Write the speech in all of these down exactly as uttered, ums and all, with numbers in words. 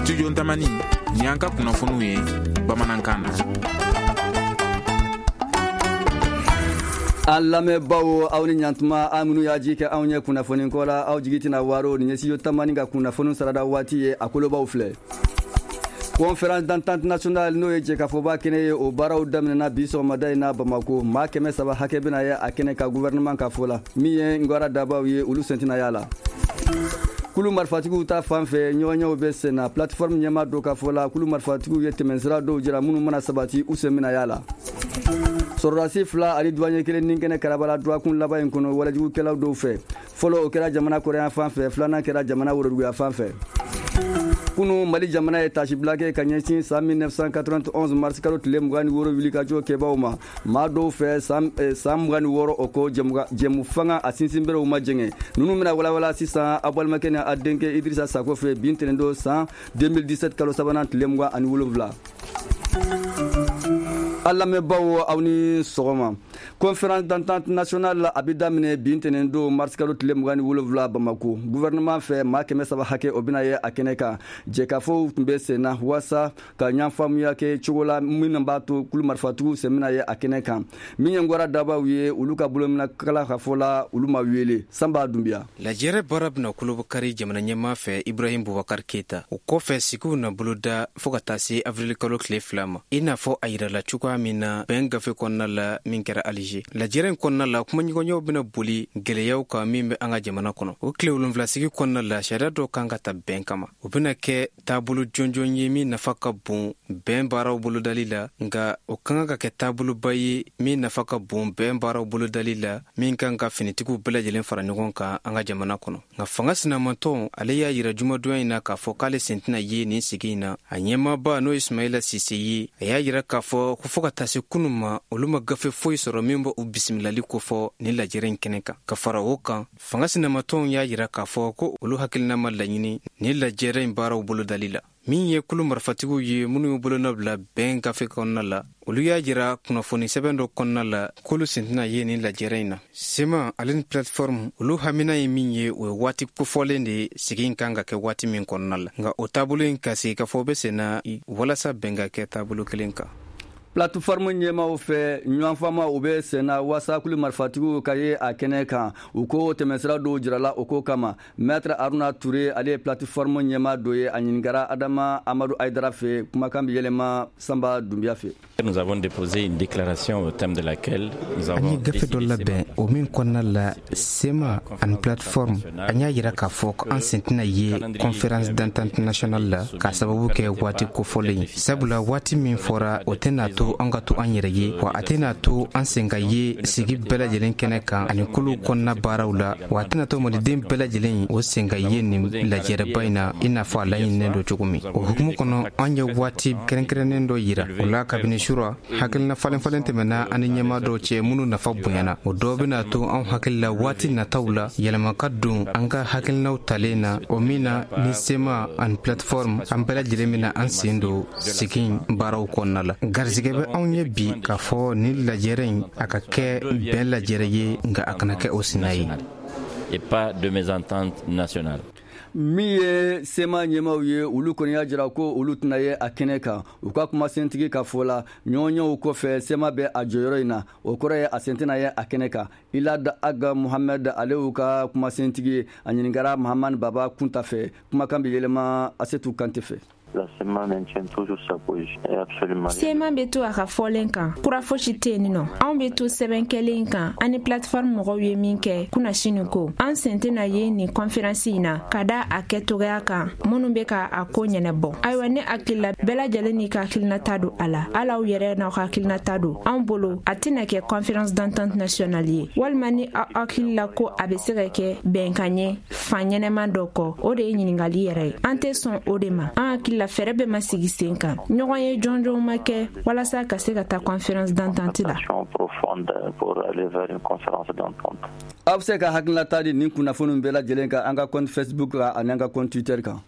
Studio Tamani ni an ka kunnafoniw ye bamanankan na. An lamɛnbaaw, aw ni ɲantuma. An minnu y'a ji kɛ anw ye kunnafoni ko la, aw jigi tɛna waaro. Nin ye Studio Tamani ka kunnafoni sarada waati ye. A kolobaw filɛ: Conférence d'entente nationale, n'o ye jɛkafɔba kɛnɛ ye, o baaraw daminɛna bi sɔgɔmada in na Bamako. Maa kɛmɛ saba hakɛ bɛna ye a kɛnɛ ka, gouvernement ka fɔ la. Min ye Ngwara dabaw ye, olu sen tɛna y'a la. Kulu marifatigiw ta fan fɛ, ɲɔgɔnyew bɛ sen na. Plateforme ɲɛmaa dɔ ka fɔ la, kulu marifatigiw ye tɛmɛsira dɔw jira minnu mana sabati, u sen bɛna y'a la. Sɔrɔdasi fila ani douanier kelen ni kɛnɛ karabala dɔgɔkun laban in kɔnɔ walejugukɛlaw dɔw fɛ. Fɔlɔ, o kɛra jamana kɔrɔyan fan fɛ, filanan kɛra jamana woroduguya fan fɛ. Kunu, Mali jamana ye tasibila kɛ ka ɲɛsin san mille neuf cent quatre-vingt-onze mars kalo tile mugan ni wɔɔrɔ wulikajɔ kɛbaw ma. Maa dɔw fɛ, san eh, san mugan ni wɔɔrɔ, o kɔ, jɛmu fanga a sinsinberew ma jɛngɛ. Ninnu bɛna walawala sisan aw balimakɛ ni a denkɛ Idrissa Sako fɛ. Bi ntɛnɛn don, san deux mille dix-sept kalo sabanan tile mugan ani wolonwula. An lamɛnbaw, aw ni sɔgɔma. Conférence d'entente nationale, a bɛ daminɛ bi ntɛnɛn don, mars kalo tile mugan ni wolonwula Bamako. Gouvernement fɛ, maa kɛmɛ saba hakɛ, o bɛna ye a kɛnɛ kan. Jɛkafɔw tun bɛ sen na waasa ka ɲɛfaamuya kɛ cogo la minnu b'a to kulu marifatigiw sen bɛna ye a kɛnɛ kan. Min ye Ngwara dabaw ye, olu ka bolominakala ka fɔ la, olu ma wele. Sanba Dunbiya. Lajɛrɛ baara bɛna kolobakari jamana ɲɛmaa fɛ, Ibrahim Bubakar Keyita. O kɔfɛ, sigiw na boloda fɔɔ ka taa se avril kalo tile fila ma, i n'a fɔ a yirala cogoya min na bɛn gafe kɔnɔna la min kɛra Alize. Lajɛrɛ in kɔnɔna la, kumaɲɔgɔnyaw bɛna boli gwɛlɛyaw kan min bɛ an ka jamana kɔnɔ. O tile wolonfila sigi kɔnɔna la, sariya dɔ kan ka ta bɛn kama. O bɛna kɛ taabolo jɔnjɔn ye min nafa ka bon bɛn baaraw bolodali la, nka o ka kan ka kɛ taaboloba ye min nafa ka bon bɛn baaraw bolodali la, min kan ka finitigiw bɛɛ lajɛlen fara ɲɔgɔn kan an ka jamana kɔnɔ. Nka fanga sinamantɔn, ale y'a yira jumadonya in na k'a fɔ k'ale sen tɛna ye nin sigi in na. A ɲɛmaaba, n'o ye Sumayila Sise ye, a y'a yira k'a fɔ ko fɔɔ ka taa se kunu ma, olu ma gafe foyi sɔrɔ min bɛ u bisimilali kofɔ nin lajɛrɛ in kɛnɛ kan. Ka fara o kan, fanga sinamatɔnw y'a yira k'a fɔ ko olu hakilina ma laɲini nin lajɛrɛ in baaraw bolodali la. Min ye kulu marifatigiw ye minnu y'u bolonɔ bila bɛn gafe kɔnɔna la, olu y'a jira kunnafoni sɛbɛn dɔ kɔnɔna la k'olu sen tɛna ye nin lajɛrɛ in na. CMA ale ni Plateforme, olu hamina ye min ye, o ye waati kofɔlen de ye sigi in kan ka kɛ waati min kɔnɔna la. Nka o taabolo in ka sigi ka fɔ bɛ sen na walasa bɛn ka kɛ taabolo kelen kan. Plateforme ɲɛmaw fɛ, ɲɔgɔnfama u bɛ sen na waasa kulu marifatigiw ka ye a kɛnɛ kan. U ko tɛmɛsira dɔw jirala o ko kama. Maître Aruna Ture, ale ye plateforme ɲɛma dɔ ye, a ɲininkara Adama Amadu Ayidara fɛ. Kumakan bɛ yɛlɛma Sanba Dunbiya fɛ. Nous avons déposé une déclaration au thème de laquelle nous An avons ye gafe dɔ labɛn, o min kɔnɔna la CMA ani Plateforme, an y'a yira k'a fɔ ko an sen tɛna ye Conférence d'entente nationale la, k'a sababu kɛ waati kofɔlen ye, sabula waati min fɔra, o tɛna to an ka to an yɛrɛ ye, wa a tɛna to an sen ka ye sigi bɛɛ lajɛlen kɛnɛ kan ani kolow kɔnɔna baaraw la, wa a tɛna to maliden bɛɛ lajɛlen o sen ka ye nin lajɛrɛba in na i n'a fɔ a laɲininen don cogo min. O hukumu kɔnɔ, an ye waati kɛrɛnkɛrɛnnen dɔ yira o la. Kabini sura, hakilina falen falen tɛmɛna ani ɲɛma dɔw cɛ minnu nafa bonyana. O dɔw bɛna to anw hakili la waati nataw la, yɛlɛma ka don an ka hakilinaw talen na, o min na ni CMA ani Plateforme, an bɛɛ lajɛlen bɛna an sen don sigi baaraw kɔnɔna la. Garizigɛ bɛ anw ye bi k'a fɔ ni lajɛrɛ in, a ka kɛ bɛn lajɛrɛ ye, nka a kana kɛ o sina ye. Et pas de mésentente nationale. Min ye CMA ɲɛmaw ye, olu kɔni y'a jira ko olu tɛna ye a kɛnɛ kan. U ka kumasentigi ka fɔ la, ɲɔgɔnyew kɔfɛ, CMA bɛ a jɔyɔrɔ in na, o kɔrɔ ye a sen tɛna ye a kɛnɛ kan. Ilad Aga Muhamɛd, ale y'u ka kumasentigi ye, a ɲininkara Mahamani Baba Kunta fɛ. Kumakan bɛ yɛlɛma Asetu Kante fɛ. La CMA maintient toujours sa position. Et absolument. CMA bɛ to a ka fɔlen kan, kura fosi tɛ yen nɔ. Anw bɛ to sɛbɛn kɛlen kan ani Plateforme mɔgɔw ye min kɛ kunnasini ko an sen tɛna ye nin conférence in na, ka da a kɛtogoya kan minnu bɛ ka a ko ɲɛnabɔ. Ayiwa, ne hakili la, bɛɛ lajɛlen n'i ka hakilinata don a la, hali aw yɛrɛ n'aw ka hakilinata don. Anw bolo, a tɛna kɛ Conférence d'entente nationale ye. Walima ni aw hakili la ko a bɛ se ka kɛ bɛnkan ye fan ɲɛnɛma dɔ kɔ, o de ye ɲininkali yɛrɛ ye. An tɛ sɔn o de ma. An hakili la, fɛɛrɛ bɛɛ ma sigi sen kan, ɲɔgɔn ye jɔnjɔnw ma kɛ walasa ka se ka taa conférence d'entente la. Profonde pour aller vers une conférence d'entente. Aw bɛ se ka hakilinata di nin kunnafoniw bɛɛ lajɛlen kan an ka compte Facebook kan ani an ka compte Twitter kan.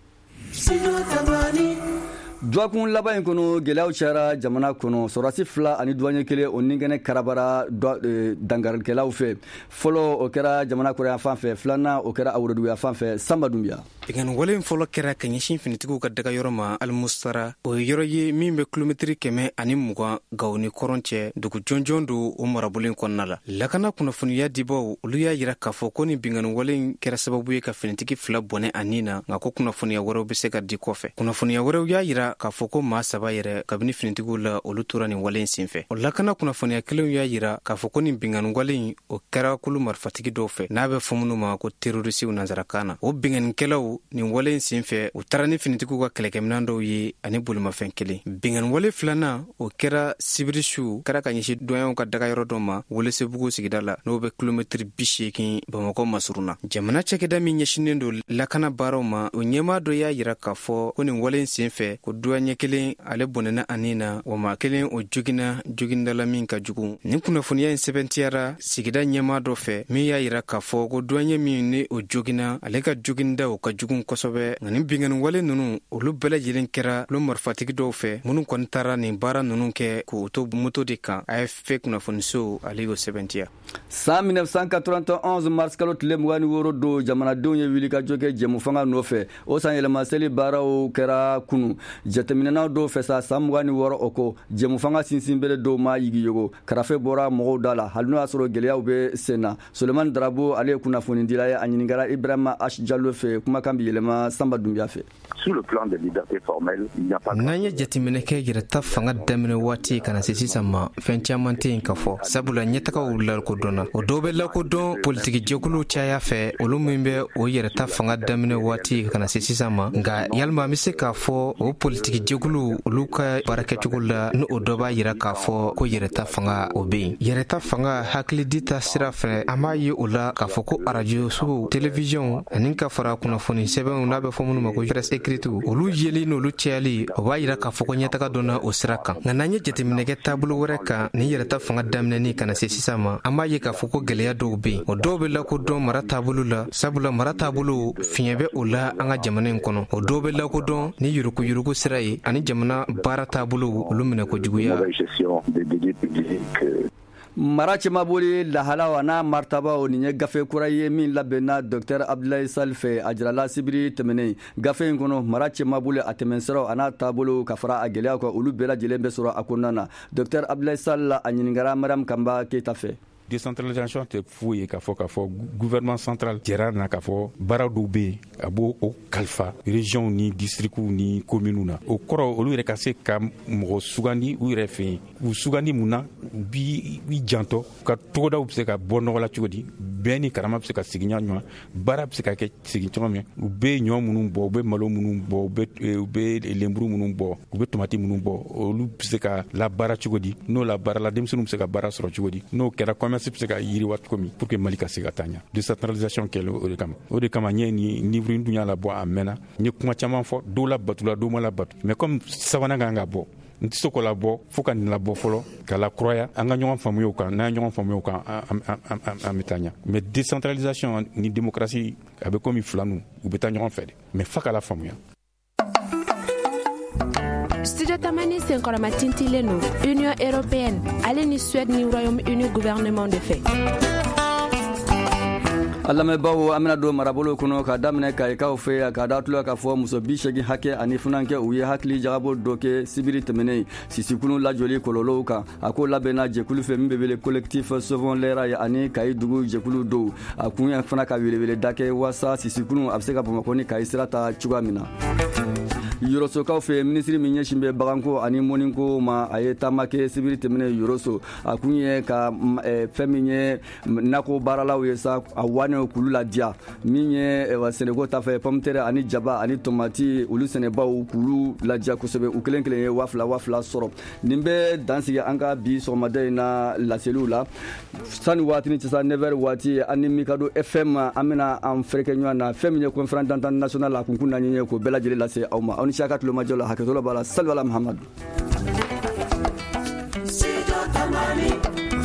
Dɔgɔkun laban in kɔnɔ, gɛlɛyaw cayara jamana kɔnɔ. Sɔrɔdasi fila ani douanier kelen, o ni kɛnɛ karabara dangarikɛlaw fɛ. Fɔlɔ, o kɛra jamana kɔrɔya fan fɛ. Filanan, o kɛra aworoduguya fan fɛ. Sanba Dunbiya. Binkanni wale fɔlɔ kɛra ka ɲɛsin finitigiw ka daga yɔrɔ ma Alimusara. O ye yɔrɔ ye min bɛ kilomɛtiri kɛmɛ ani mugan Gawo ni kɔrɔn cɛ. Dugu jɔnjɔn don o marabolo in kɔnɔna la. Lakana kunnafoniya dibaw, olu y'a yira k'a fɔ ko nin binkanni wale in kɛra sababu ye ka finitigi fila bɔnɛ a nin na, nka ko kunnafoniya wɛrɛw bɛ se ka di kɔfɛ. Kunnafoniya wɛrɛw y'a yira k'a fɔ ko maa saba yɛrɛ kabini finitigiw la, olu tora nin wale in senfɛ. O lakana kunnafoniya kelenw y'a yira k'a fɔ ko nin binkanni wale in, o kɛra kulu marifatigi dɔw fɛ n'a bɛ fɔ minnu ma ko terorisiw nansarakan na. O binkannikɛlaw, nin wale in senfɛ, u taara ni finitigiw ka kɛlɛkɛminɛn dɔw ye ani bolimafɛn kelen. Binkanni wale filanan, o kɛra sibiri su, kɛra ka ɲɛsin douaniers ka daga yɔrɔ dɔ ma Welesebugu sigida la, n'o bɛ kilomɛtiri bi seegin Bamakɔ masurun na. Jamana cakɛda min ɲɛsinnen don lakana baaraw ma, o ɲɛmaa dɔ y'a yira k'a fɔ ko nin wale in senfɛ, ko douanier kelen, ale bɔnɛna a nin na, wa maa kelen, o joginna jogindala min ka jugu. Nin kunnafoniya in sɛbɛntiyara sigida ɲɛmaa dɔ fɛ min y'a yira k'a fɔ ko douanier min ni o joginna, ale ka joginda, o ka jugu kosɛbɛ. Nka nin binkanni wale ninnu, olu bɛɛ lajɛlen kɛra olu marifatigi dɔw fɛ minnu kɔni taara nin baara ninnu kɛ k'o to moto de kan. A F P kunnafoniso, ale y'o sɛbɛntiya. San mille neuf cent quatre-vingt-onze mars kalo tile mugan ni wɔɔrɔ don, jamanadenw ye wulikajɔ kɛ jɛmufanga nɔfɛ. O san yɛlɛmaseli baaraw kɛra kunu. Jateminɛnaw dɔw fɛ sa, san mugan ni wɔɔrɔ o kɔ, jɛmufanga sinsinbere dɔw ma yigiyogo, karafe bɔra mɔgɔw da la, hali n'o y'a sɔrɔ gɛlɛyaw bɛ sen na. Sulemani Darabo, ale ye kunnafonidila ye. A ɲininkara Ibrahima H Jalo fɛ. Kumakan bi yɛlɛma Sanba Dunbiya fɛ. Sur le plan des libertés formelles, il n'y a pas N'an ye jateminɛ kɛ yɛrɛta fanga daminɛ waati ka na se sisan ma, fɛn caman tɛ yen ka fɔ, sabula ɲɛtagaw lakodɔnna. O dɔw bɛ lakodɔn politiki jɛkuluw caya fɛ, olu min bɛ o yɛrɛta fanga daminɛ waati ka na se sisan ma. Nka yalima an bɛ se k'a fɔ o politiki jɛkuluw, olu ka baarakɛcogo la, ni o dɔ b'a yira k'a fɔ ko yɛrɛta fanga, o bɛ yen? Yɛrɛta fanga hakilidi ta sira fɛ, an b'a ye o la k'a fɔ ko arajo sow, televiziyɔnw, ani ka fara kunnafoni sɛbɛnw n'a bɛ fɔ minnu ma ko presse écrite, olu yeli n'olu cayali, o b'a yira k'a fɔ ko ɲɛtaga donna o sira kan. Nka n'an ye jateminɛ kɛ taabolo wɛrɛ kan, ni yɛrɛta fanga daminɛni ka na se sisan ma, an b'a ye k'a fɔ ko gɛlɛya dɔw bɛ yen. O dɔw bɛ lakodɔn mara taabolo la, sabula mara taabolo fiɲɛ bɛ o la an ka jamana in kɔnɔ. O dɔw bɛ lakodɔn ni yuruguyurugu sira ye, ani jamana baara taabolo, olu minɛ kojuguya. Mara cɛmaboli lahalaw n'a martabaw, nin ye gafe kura ye min labɛnna Docteur Abdoulaye Sall fɛ. A jirala sibiri tɛmɛnen. Gafe in kɔnɔ, mara cɛmaboli, a tɛmɛnsiraw a n'a taabolo, ka fara a gɛlɛyaw kan, olu bɛɛ lajɛlen bɛ sɔrɔ a kɔnɔna na. Docteur Abdoulaye Sall, a ɲininkara Mariam Kanba Keyita fɛ. Décentralisation tɛ foyi ye k'a fɔ k'a fɔ gouvernement central jɛra na k'a fɔ baara dɔw bɛ yen, a b'o o kalifa région ni districts ni communes na. O kɔrɔ, olu yɛrɛ ka se ka mɔgɔ sugandi u yɛrɛ fɛ yen. U sugandi mun na? U bi i jantɔ ka togodaw bɛ se ka bɔ nɔgɔ la cogo di, bɛn ni karama bɛ se ka sigi ɲɔgɔn, baara bɛ se ka kɛ sigi cogo min. U bɛ ɲɔ minnu bɔ, u bɛ malo minnu bɔ, u bɛ u bɛ lenburu minnu bɔ, u bɛ tomati minnu bɔ, olu bɛ se ka labaara cogo di? N'o labaarala, denmisɛnninw bɛ se ka baara sɔrɔ cogo di? N'o kɛra, commerce bɛ se ka yiriwa cogo min, pour que Mali ka se ka taa ɲɛ. Décentralisation kɛlen o de kama. O de kama n ye nin livre in dun y'a labɔ a mɛnna. N ye kuma caman fɔ, dɔw la batula, dɔw ma labatu, mais comme sabanan kan ka bɔ, n tɛ se k'o labɔ fo ka nin labɔ fɔlɔ ka lakuraya, an ka ɲɔgɔn faamuya o kan. N'an ye ɲɔgɔn faamuya o kan, an bɛ taa ɲɛ. Mais décentralisation ni démocratie, a bɛ komi fila nu, u bɛ taa ɲɔgɔn fɛ de, mais f'a ka la faamuya. Studio Tamani senkɔrɔma tintilen don Union européenne ale ni Suède ni Royaume-Uni gouvernement de fɛ. An lamɛnbaaw, an bɛna don marabolo kɔnɔ ka daminɛ Kayikaw fɛ yan, ka da tulo k'a fɔ muso bi segin hakɛ ani funankɛ, u ye hakili jagabɔ dɔ kɛ sibiri tɛmɛnen sisikunu lajɔli kɔlɔlɔw kan. A ko labɛnna jɛkulu fɛ min bɛ wele Collectif Sauvons les Rails ani Kayi dugu jɛkulu dɔw. A kun ye fana ka welewele da kɛ waasa sisikunu a bɛ se ka Bamakɔ ni Kayi sira ta cogoya min na. Yorosokaw fɛ, minisiri min ɲɛsin bɛ baganko ani mɔniko ma, a ye taama kɛ sibiri tɛmɛnen Yoroso. A kun ye ka fɛn min ye nakɔ baaralaw ye sa, a wanew k'olu ladiya. Min ye sɛnɛko ta fɛ, pomme terre ani jaba ani tomati, olu sɛnɛbaw k'olu ladiya kosɛbɛ. U kelen kelen ye waa fila waa fila sɔrɔ. Nin bɛ dansigi an ka bi sɔgɔmada in na laseliw la. Sani waatini cɛ sa, neuf heures waati, an ni Mikado F M, an bɛna an fɛrɛkɛ ɲɔgɔn na. Fɛn min ye conférence d'entente nationale, a kunkun na ɲɛ k'o bɛɛ lajɛlen lase aw ma. Aw ni si ka tulomajɔ la. Hakɛto b'a la. Sali ala Muhamadu. Studio Tamani.